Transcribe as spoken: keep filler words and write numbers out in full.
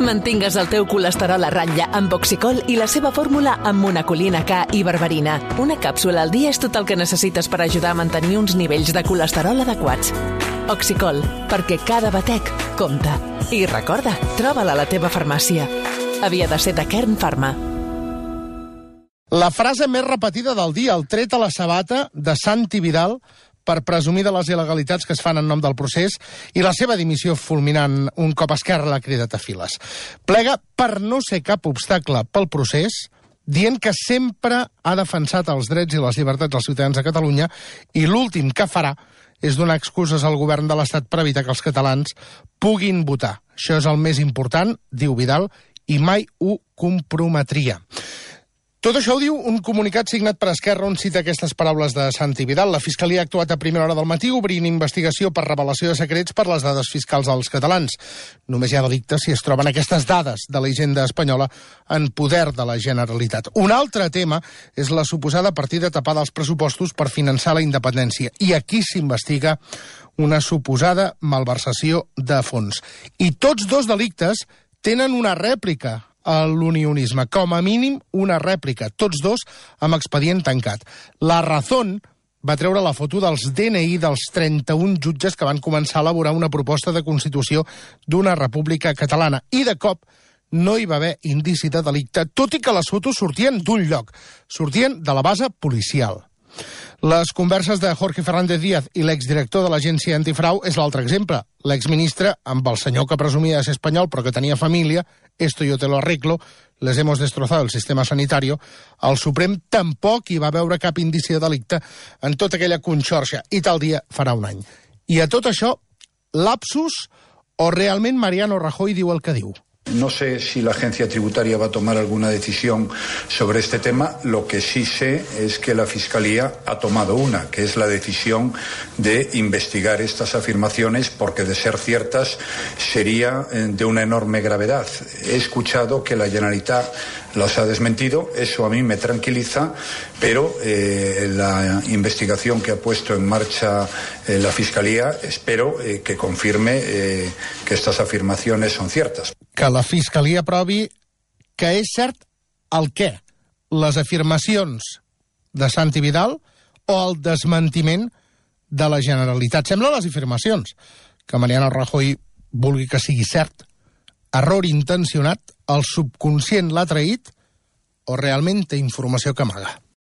Mantingues el teu colesterol a ratlla amb Oxicol i la seva fórmula amb monacolina K i berberina. Una càpsula al dia és tot el que necessites per ajudar a mantenir uns nivells de colesterol adequats. Oxicol, perquè cada batec compta. I recorda, troba-la a la teva farmàcia. Havia de ser de Kern Pharma. La frase més repetida del dia, el tret a la sabata de Santi Vidal per presumir de les il·legalitats que es fan en nom del procés i la seva dimissió fulminant un cop Esquerra l'ha cridat a files. Plega per no ser cap obstacle pel procés, dient que sempre ha defensat els drets i les llibertats dels ciutadans de Catalunya i l'últim que farà és donar excuses al govern de l'Estat per evitar que els catalans puguin votar. Això és el més important, diu Vidal, i mai ho comprometria. Tot això ho diu un comunicat signat per Esquerra on cita aquestes paraules de Santi Vidal. La Fiscalia ha actuat a primera hora del matí obrint investigació per revelació de secrets per les dades fiscals als catalans. Només hi ha delicte si es troben aquestes dades de la hisenda espanyola en poder de la Generalitat. Un altre tema és la suposada partida tapada als pressupostos per finançar la independència. I aquí s'investiga una suposada malversació de fons. I tots dos delictes tenen una rèplica a l'unionisme, com a mínim una rèplica, tots dos amb expedient tancat. La Razón va treure la foto dels D N I dels trenta-un jutges que van començar a elaborar una proposta de constitució d'una república catalana. I de cop no hi va haver indici de delicte, tot i que les fotos sortien d'un lloc, sortien de la base policial. Les converses de Jorge Fernández Díaz i l'exdirector de l'agència antifrau és l'altre exemple. L'exministre, amb el senyor que presumia de ser espanyol però que tenia família, esto yo te lo arreglo, les hemos destrozado el sistema sanitario, el Suprem tampoc hi va veure cap indici de delicte en tota aquella conxorxa, i tal dia farà un any. I a tot això, lapsus o realment Mariano Rajoy diu el que diu? No sé si la agencia tributaria va a tomar alguna decisión sobre este tema. Lo que sí sé es que la Fiscalía ha tomado una, que es la decisión de investigar estas afirmaciones porque, de ser ciertas, sería de una enorme gravedad. He escuchado que la Generalitat las ha desmentido, eso a mí me tranquiliza, pero eh, la investigación que ha puesto en marcha eh, la Fiscalía espero eh, que confirme eh, que estas afirmaciones son ciertas. Que la Fiscalia provi que és cert el què? Les afirmacions de Santi Vidal o el desmentiment de la Generalitat? Sembla les afirmacions, que Mariano Rajoy vulgui que sigui cert. Error intencionat, el subconscient l'ha traït o realment té informació que amaga?